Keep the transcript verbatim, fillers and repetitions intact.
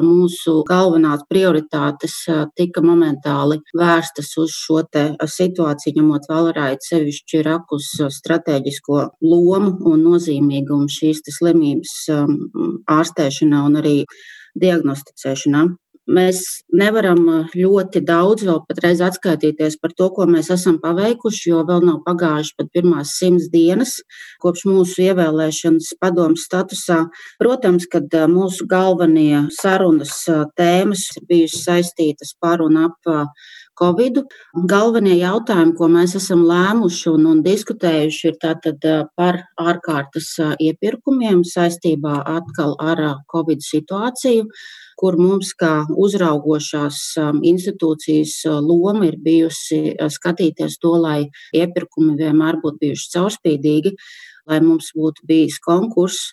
Mūsu galvenās prioritātes tika momentāli vērstas uz šo te situāciju, ņemot vērā sevišķi rakus stratēģisko lomu un nozīmīgumu šīs slimības ārstēšanā un arī diagnosticēšanā. Mēs nevaram ļoti daudz vēl patreiz atskaitīties par to, ko mēs esam paveikuši, jo vēl nav pagājuši pat pirmās simts dienas kopš mūsu ievēlēšanas padomes statusā. Protams, kad mūsu galvenie sarunas tēmas ir bijušas saistītas par un ap Covidu. Galvenie jautājumi, ko mēs esam lēmuši un, un diskutējuši, ir tātad par ārkārtas iepirkumiem saistībā atkal ar Covid situāciju, kur mums kā uzraugošās institūcijas loma ir bijusi skatīties to, lai iepirkumi vienmēr būtu bijuši caurspīdīgi, lai mums būtu bijis konkurss